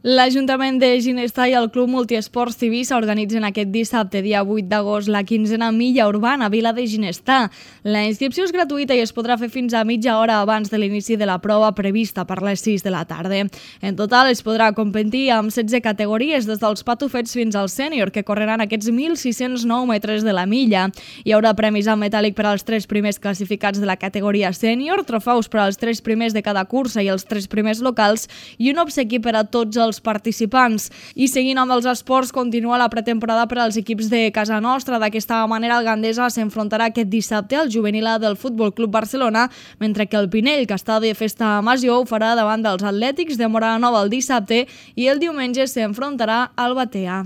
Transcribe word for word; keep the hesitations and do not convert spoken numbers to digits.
L'Ajuntament de Ginestar i el Club Multiesports Tivissa organitzen aquest dissabte, dia vuit d'agost, la quinzena milla urbana a Vila de Ginestar. La inscripció és gratuïta i es podrà fer fins a mitja hora abans de l'inici de la prova prevista per les sis de la tarda. En total es podrà competir amb setze categories, des dels patufets fins al sènior, que correran aquests mil sis-cents nou metres de la milla. Hi haurà premis en metàl·lic per als tres primers classificats de la categoria sènior, trofeus per als tres primers de cada cursa i els tres primers locals i un obsequi per a tots els participants. I seguint amb els esports, continua la pretemporada per als equips de casa nostra. D'aquesta manera, el Gandesa s'enfrontarà aquest dissabte al juvenil A del Futbol Club Barcelona, mentre que el Pinell, que està de festa a Massió, ho farà davant dels Atlètics de Móra la Nova el dissabte i el diumenge s'enfrontarà al Batea.